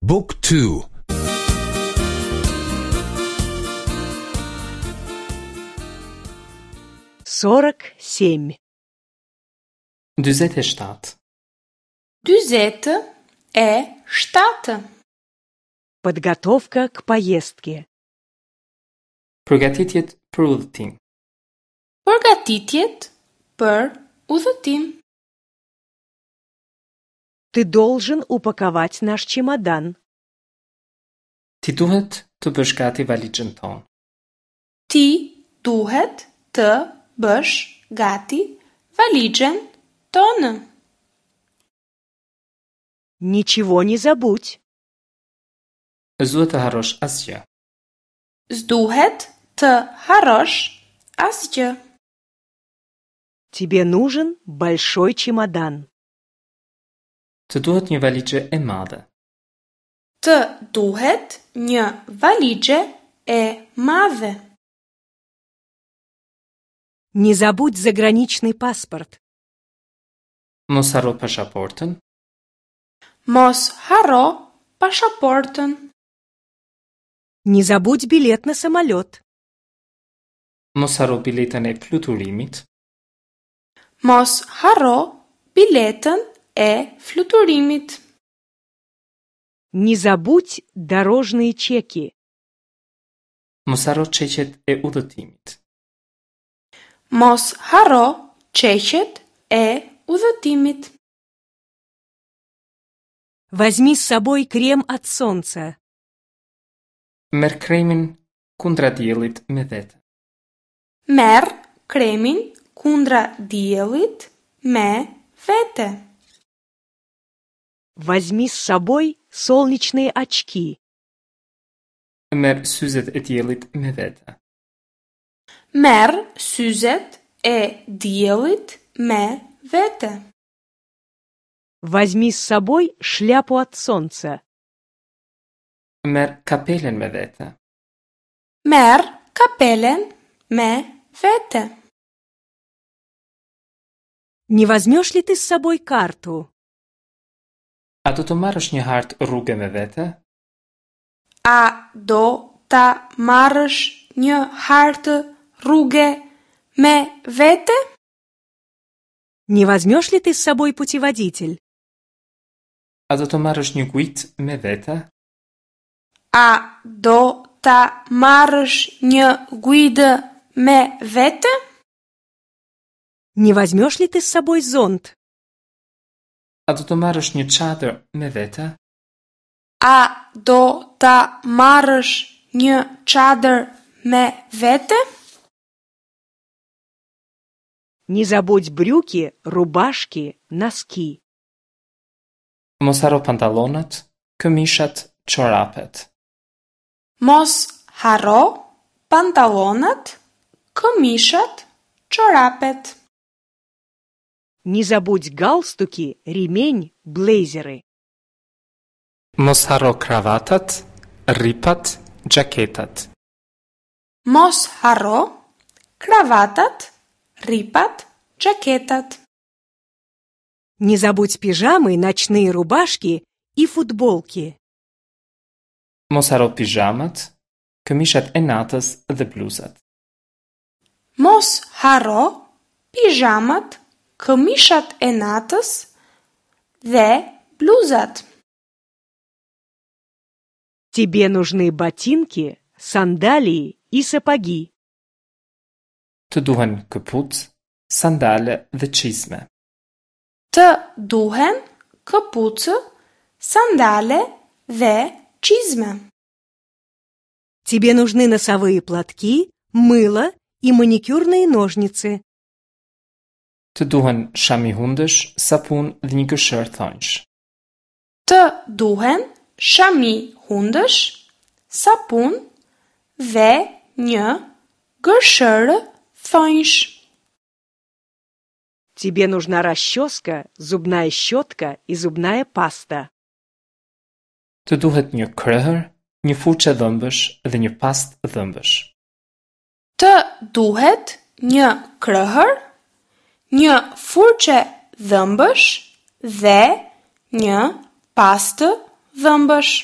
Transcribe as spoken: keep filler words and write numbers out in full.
Book two. Сорок семь. Dyzet e shtatë. Dyzet e shtatë. Подготовка к поездке. Përgatitjet për udhëtim. Përgatitjet për udhëtim. Ты должен упаковать наш чемодан. Ti duhet të bësh gati valixhen tonë. Ti duhet të bësh gati valixhen tonë. Ничего не забудь. S'duhet të harrosh asgjë. S'duhet të harrosh asgjë. Тебе нужен большой чемодан. Të duhet një valixhe e madhe. Të duhet një valixhe e madhe. Не забудь заграничный паспорт. Mos harro pasaportën. Mos harro pasaportën. Не забудь билет на самолет. Mos harro biletën e fluturimit. Mos harro biletën e fluturimit. Не забудь дорожные чеки. Mos harro çeqet e udhëtimit. Mos harro çeqet e udhëtimit. Возьми с собой крем от солнца. Merr kremin kundra diellit me vete. Merr kremin kundra diellit me vete. Возьми с собой солнечные очки. Merr syzet e diellit me vete. Merr syzet e diellit me vete. Возьми с собой шляпу от солнца. Merr kapelen me vete. Merr kapelen me vete. Не возьмешь ли ты с собой карту? A do të marrësh një hartë rruge me vete? A do ta marrësh një hartë rruge me vete? Не возьмешь ли ты с собой путеводитель? A do të marrësh një guidë me vete? A do ta marrësh një guidë me vete? Не возьмешь ли ты с собой зонт? A do të marrësh një çadër me vete? A do ta marrësh një çadër me vete? Не забудь брюки, рубашки, носки. Mos harro pantallonat, këmishat, çorapet. Mos harro pantallonat, këmishat, çorapet. Не забудь галстуки, ремень, блейзеры. Mos harro kravatat, rripat, xhaketat. Mos harro kravatat, rripat, xhaketat. Не забудь пижамы, ночные рубашки и футболки. Mos harro pijamat, këmishat e natës dhe bluzat. Mos harro pijamat, këmishat e natës dhe bluzat. Тебе нужны ботинки, сандалии и сапоги. Të duhen këpucë, sandale dhe çizme. Të duhen këpucë, sandale dhe çizme. Тебе нужны носовые платки, мыло и маникюрные ножницы. Të duhen shami hundësh, sapun dhe një gërshërë thonjsh. Të duhen shami hundësh, sapun dhe një gërshërë thonjsh. Тебе нужна расческа, зубная щетка и зубная паста. Të duhet një krehër, një furçë dhëmbësh dhe një pastë dhëmbësh. Të duhet një krehër, një furçë dhëmbësh dhe një pastë dhëmbësh.